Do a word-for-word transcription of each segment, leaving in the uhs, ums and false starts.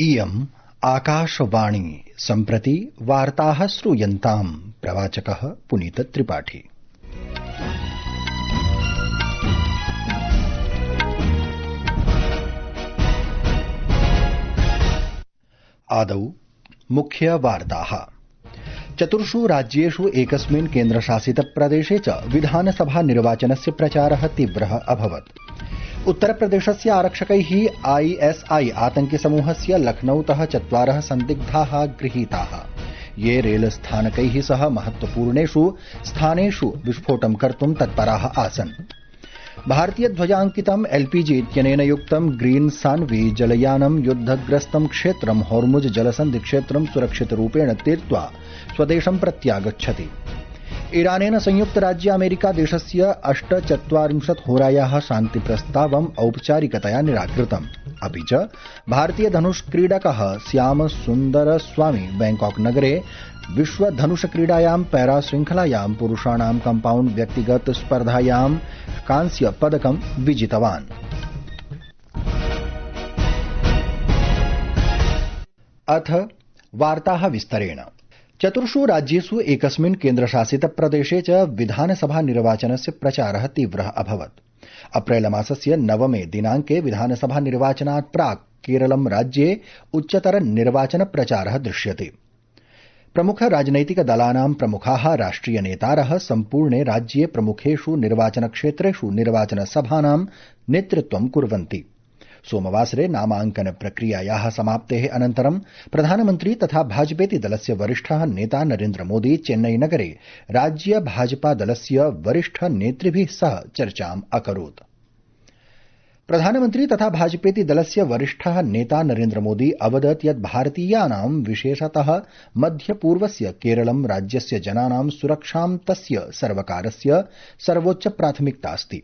इयम् आकाशवाणी सम्प्रति वार्ताः श्रूयन्ताम् प्रवाचकः पुनीत त्रिपाठी। आदौ मुख्य वार्ताः। चतुर्षु राज्येषु एकस्मिन् केन्द्रशासित प्रदेशे च विधानसभा निर्वाचनस्य प्रचारः तीव्रः अभवत्। उत्तरप्रदेशस्य आरक्षकैः आईएसआई आतंकिसमूहस्य लखनऊतः चत्वारः सन्दिग्धाः गृहीताः, ये रेलस्थानकैः सह महत्वपूर्णेषु स्थानेषु विस्फोटं कर्तुं तत्पराः आसन्। भारतीयध्वजाङ्कितम् एलपीजी इत्यनेन युक्तं ग्रीन सान्वी जलयानं युद्धग्रस्तं क्षेत्रं होर्मुज जलसन्धिक्षेत्रं सुरक्षितरूपेण तीर्त्वा स्वदेशं प्रत्यागच्छति। ईरानेन संयुक्तराज्य अमेरिका देशस्य अष्टचत्वारिंशत् होरायाः शान्तिप्रस्तावम् औपचारिकतया निराकृतम्। अपि च भारतीयधनुष्क्रीडकः श्यामसुन्दरस्वामी बैंकॉक नगरे विश्वधनुषक्रीडायां पैराशृङ्खलायां पुरुषाणां कम्पाउण्ड् व्यक्तिगत स्पर्धायां कांस्य पदकं विजितवान्। अथ वार्ताः विस्तरेण। चतुर्षु राज्येषु एकस्मिन् केन्द्रशासित प्रदेशे च विधानसभा निर्वाचनस्य प्रचारः तीव्रः अभवत्। अप्रैलमासस्य नवमे दिनाङ्के विधानसभा निर्वाचनात् प्राक् केरलं राज्ये उच्चतर निर्वाचन प्रचारः दृश्यते। प्रमुख राजनैतिक दलानां प्रमुखाः राष्ट्रिय नेतारः सम्पूर्णे राज्ये प्रमुखेषु निर्वाचनक्षेत्रेषु निर्वाचनसभानां नेतृत्वं कुर्वन्ति। सोमवासरे नामाङ्कन प्रक्रियायाः समाप्तेः अनन्तरं प्रधानमन्त्री तथा भाजपेति दलस्य वरिष्ठः नेता नरेन्द्र मोदी चेन्नई नगरे राज्य भाजपा दलस्य वरिष्ठ नेतृभिः सह चर्चाम् अकरोत्। प्रधानमन्त्री तथा भाजपेति दलस्य वरिष्ठः नेता नरेन्द्र मोदी अवदत् यत् भारतीयानां विशेषतः मध्यपूर्वस्य केरलं राज्यस्य जनानां सुरक्षां तस्य सर्वकारस्य सर्वोच्च प्राथमिकता अस्ति।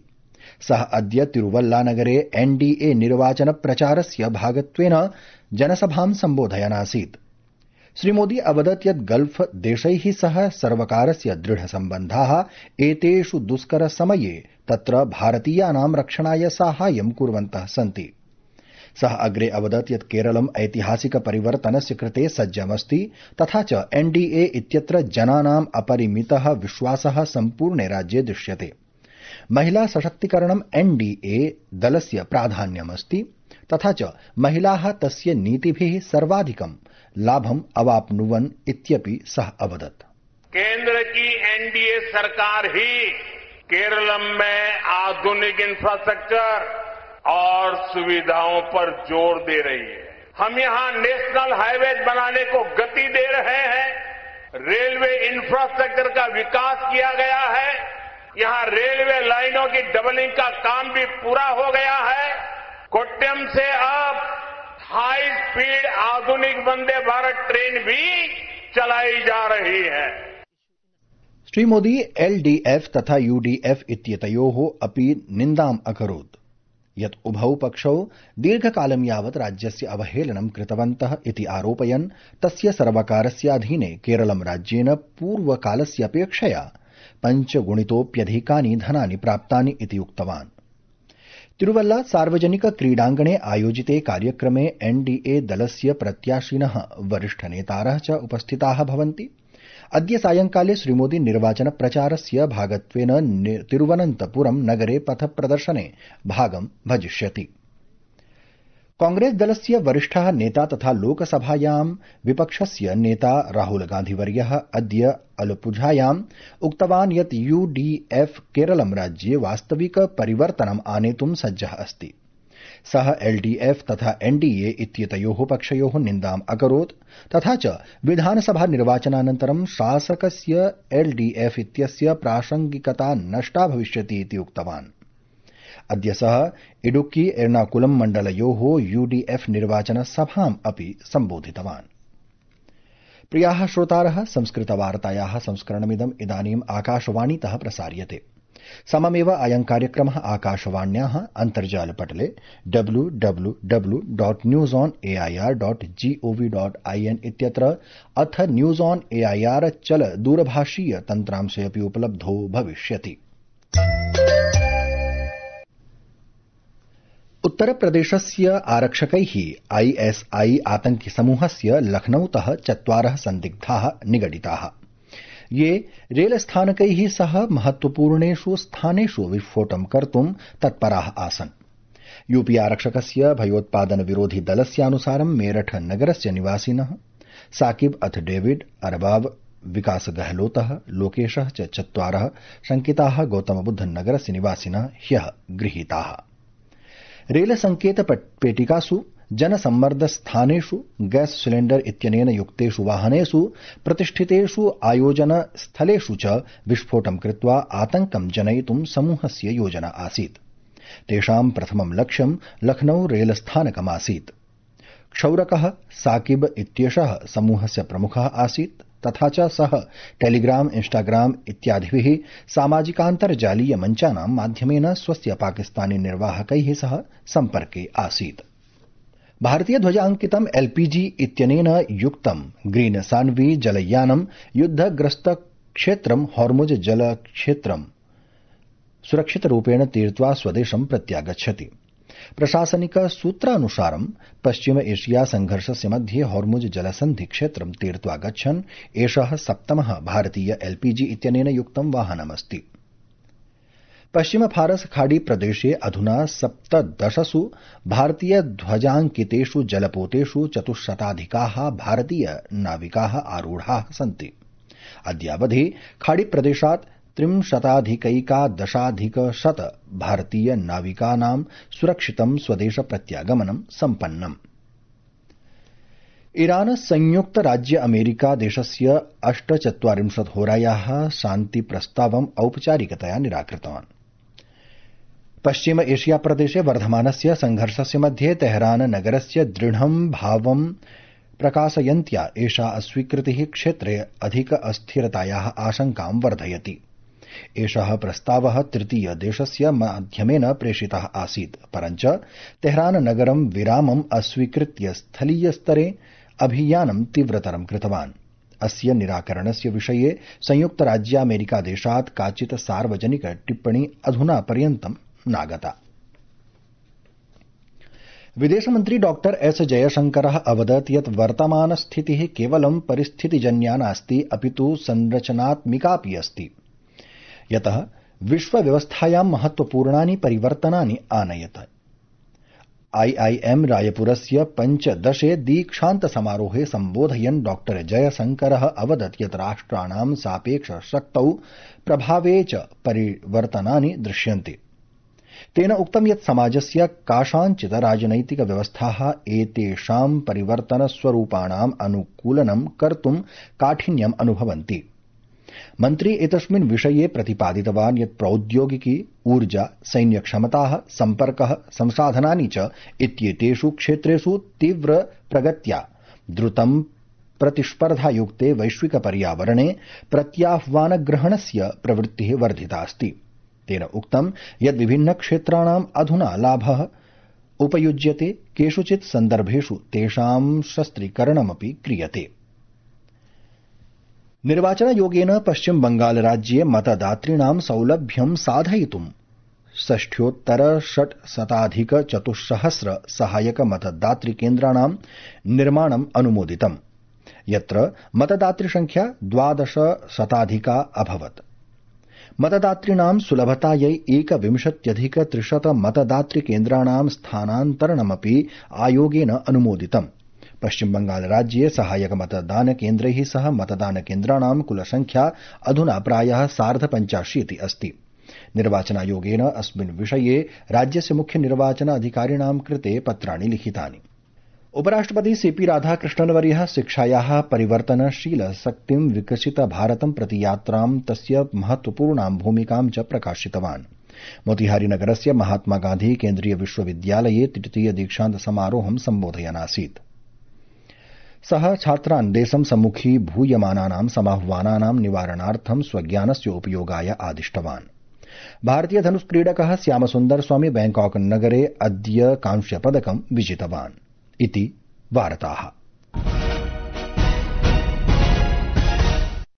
सः अद्य तिरुवल्लानगरे एनडीए निर्वाचन प्रचारस्य भागत्वेन जनसभां सम्बोधयन् आसीत्। श्रीमोदी अवदत् यत् गल्फ देशैः सह सर्वकारस्य दृढसम्बन्धाः एतेषु दुष्कर समये तत्र भारतीयानां रक्षणाय साहाय्यं कुर्वन्तः सन्ति। सः अग्रे अवदत् यत् केरलम् ऐतिहासिक परिवर्तनस्य कृते सज्जमस्ति तथा च एनडीए इत्यत्र जनानाम् अपरिमितः विश्वासः सम्पूर्णे राज्ये दृश्यते। महिला सशक्तीकरणम् एनडीए दलस्य प्राधान्यमस्ति तथा च महिलाः तस्य नीतिभिः सर्वाधिकं लाभम् अवाप्नुवन् इत्यपि सः अवदत्। केंद्र की एनडीए सरकार ही केरलम में आधुनिक इंफ्रास्ट्रक्चर और सुविधाओं पर जोर दे रही है। हम यहां नेशनल हाईवेज बनाने को गति दे रहे हैं। रेलवे इंफ्रास्ट्रक्चर का विकास किया गया है। यहां रेलवे लाइनों की डबलिंग का काम भी पूरा हो गया है। कोट्यम से अब हाई स्पीड आधुनिक वंदे भारत ट्रेन भी चलाई जा रही है। श्री मोदी एलडीएफ तथा यूडीएफ इत्येतयोः अपि निन्दाम् अकरोत् यत् उभौ पक्षौ दीर्घकालं यावत् राज्यस्य अवहेलनं कृतवन्तः इति आरोपयन् तस्य सर्वकारस्य अधीने केरलं राज्येन पूर्वकालस्य अपेक्षया पञ्चगुणितोऽप्यधिकानि धनानि प्राप्तानि इति उक्तवान्। तिरुवल्ला सार्वजनिक क्रीडाङ्गणे आयोजिते कार्यक्रमे एनडीए दलस्य प्रत्याशिनः वरिष्ठनेतारः च उपस्थिताः भवन्ति। अद्य सायंकाले श्रीमोदी निर्वाचन प्रचारस्य भागत्वेन तिरुवनन्तपुरं नगरे पथप्रदर्शने भागं भजिष्यति। कांग्रेस दलस्य वरिष्ठः नेता तथा लोकसभायां विपक्षस्य नेता राहुल गान्धीवर्यः अद्य अलपुझायाम् उक्तवान् यत् यूडीएफ केरलं राज्ये वास्तविक परिवर्तनम् आनेतुं सज्जः अस्ति। सः एलडीएफ तथा एनडीए इत्येतयोः पक्षयोः निन्दाम् अकरोत् तथा च विधानसभा निर्वाचनानन्तरं शासकस्य एलडीएफ इत्यस्य प्रासंगिकता नष्टा भविष्यति इति उक्तवान्। अद्य सः इडुक्की एर्नाकुलम मण्डलयोः यूडीएफ निर्वाचनसभाम् अपि सम्बोधितवान्। प्रियाः श्रोतारः, संस्कृतवार्तायाः संस्करणमिदम् इदानीम् आकाशवाणीतः प्रसार्यते। सममेव अयं कार्यक्रमः आकाशवाण्याः अन्तर्जालपटले W W W dot news on AIR dot gov dot IN इत्यत्र अथ न्यूज ऑन एआईआर चल दूरभाषीय तन्त्रांशे अपि उपलब्धो भविष्यति। उत्तरप्रदेशस्य आरक्षकैः आईएसआई आतंकिसमूहस्य लखनऊतः चत्वारः सन्दिग्धाः निगडिताः, ये रेलस्थानकैः सह महत्वपूर्णेषु स्थानेषु विस्फोटं कर्तुं तत्पराः आसन्। यूपी आरक्षकस्य भयोत्पादन विरोधी दलस्यानुसारं मेरठ नगरस्य निवासिनः साकिब अथ डेविड अरबाब, विकास गहलोतः, लोकेशः च चत्वारः शंकिताः गौतमबुद्ध नगरस्य निवासिनः ह्यः गृहीताः। रेल संकेत पेटिकासु, जनसम्मर्दस्थानेषु, गैस सिलेण्डर इत्यनेन युक्तेषु वाहनेषु, प्रतिष्ठितेषु आयोजन स्थलेषु च विस्फोटं कृत्वा आतंकं जनयितुं समूहस्य योजना आसीत्। तेषां प्रथमं लक्ष्यं लखनऊ रेलस्थानकमासीत्। क्षौरकः साकिब इत्येषः समूहस्य प्रमुखः आसीत्, तथा च सः टेलीग्राम, इंस्टाग्राम इत्यादिभिः सामाजिकान्तर्जालीय मञ्चानां माध्यमेन स्वस्य पाकिस्तानी निर्वाहकैः सह सम्पर्के आसीत्। भारतीय ध्वजाङ्कितं एलपीजी इत्यनेन युक्तं ग्रीन सान्वी जलयानं युद्धग्रस्त क्षेत्रं हॉर्मुज जलक्षेत्रं सुरक्षितरूपेण तीर्त्वा स्वदेशं प्रत्यागच्छति। प्रशासनिक सूत्रानुसारं पश्चिम एशिया संघर्षस्य मध्ये हॉर्मुज जलसन्धि क्षेत्रं तीर्त्वा गच्छन् एषः सप्तमः भारतीय एलपीजी इत्यनेन युक्तं वाहनमस्ति। पश्चिम फारस खाड़ी प्रदेशे अधुना सप्तदशसु भारतीय ध्वजाङ्कितेषु जलपोतेषु चतुश्शताधिकाः भारतीय नाविकाः आरूढाः सन्ति। अद्यावधि खाड़ी प्रदेशात् त्रिंशताधिकैकादशाधिकशत भारतीय नाविकानां सुरक्षितं स्वदेश प्रत्यागमनं सम्पन्नम्। ईरान संयुक्त राज्य अमेरिका देशस्य अष्टचत्वारिंशत् होरायाः शान्तिप्रस्तावम् औपचारिकतया निराकृतवान्। पश्चिम एशिया प्रदेशे वर्धमानस्य संघर्षस्य मध्ये तेहरान नगरस्य दृढं भावं प्रकाशयन्त्या एषा अस्वीकृतिः क्षेत्रे अधिक अस्थिरतायाः आशंकां वर्धयति। एषः प्रस्तावः तृतीय देशस्य माध्यमेन प्रेषितः आसीत्, परञ्च तेहरान नगरं विरामम् अस्वीकृत्य स्थलीयस्तरे अभियानं तीव्रतरं कृतवान्। अस्य निराकरणस्य विषये संयुक्तराज्यामेरिकादेशात् काचित् सार्वजनिक टिप्पणी अधुना पर्यन्तं नागता। विदेशमन्त्री डॉक्टर एस जयशंकरः अवदत् यत् वर्तमानस्थितिः केवलं परिस्थितिजन्या नास्ति, अपितु संरचनात्मिकापि अस्ति, यतः विश्वव्यवस्थायां महत्वपूर्णानि परिवर्तनानि आनयत्। आईआईएम रायपुरस्य पञ्चदशे दीक्षान्तसमारोहे सम्बोधयन् डॉक्टर जयशंकरः अवदत् यत् राष्ट्राणां सापेक्ष शक्तौ प्रभावे च परिवर्तनानि दृश्यन्ते। तेन उक्तं यत् समाजस्य कासाञ्चित् राजनैतिक व्यवस्थाः एतेषां परिवर्तनस्वरूपाणाम् अनुकूलनं कर्तुं काठिन्यम् अनुभवन्ति। मन्त्री एतस्मिन् विषये प्रतिपादितवान् यत् प्रौद्योगिकी, ऊर्जा, सैन्यक्षमताः, सम्पर्कः, संसाधनानि च इत्येतेषु क्षेत्रेषु तीव्र प्रगत्या द्रुतं प्रतिस्पर्धायुक्ते वैश्विक पर्यावरणे प्रत्याह्वानग्रहणस्य प्रवृत्तिः वर्धिता अस्ति। तेन उक्तं यत् विभिन्न क्षेत्राणाम् अधुना लाभः उपयुज्यते, केषुचित् सन्दर्भेषु तेषां शस्त्रीकरणमपि क्रियते। निर्वाचनायोगेन पश्चिम बंगाल राज्ये मतदातॄणां सौलभ्यं साधयितुं षष्ठ्योत्तर षट्शताधिक चतुस्सहस्र सहायक मतदातृकेन्द्राणां निर्माणम् अनुमोदितम्, यत्र मतदातृसंख्या द्वादशशताधिका अभवत्। मतदातॄणां सुलभतायै एकविंशत्यधिक त्रिशत मतदातृकेन्द्राणां स्थानान्तरणमपि आयोगेन अनुमोदितम्। पश्चिम बंगाल राज्ये सहायक मतदान केन्द्रैः सह मतदान केन्द्राणां कुलसंख्या अधुना प्रायः सार्धपञ्चाशीति अस्ति। निर्वाचनायोगेन अस्मिन् विषये राज्यस्य मुख्य निर्वाचन अधिकारिणां कृते पत्राणि लिखितानि। उपराष्ट्रपति सीपी राधाकृष्णन्वर्यः शिक्षायाः परिवर्तनशील शक्तिं विकसित भारतं प्रति यात्रां तस्य महत्वपूर्णां भूमिकां च प्रकाशितवान्। मोतिहारी नगरस्य महात्मा गांधी केन्द्रीय विश्वविद्यालये तृतीय दीक्षान्त समारोहं सम्बोधयन् आसीत्। सः छात्रान् देशं सम्मुखीभूयमानानां समाह्वानानां निवारणार्थं स्वज्ञानस्य उपयोगाय आदिष्टवान्। भारतीय धनुष्क्रीडकः श्यामसुन्दर स्वामी बैंकॉक नगरे अद्य कांस्यपदकं विजितवान् इति वार्ताः।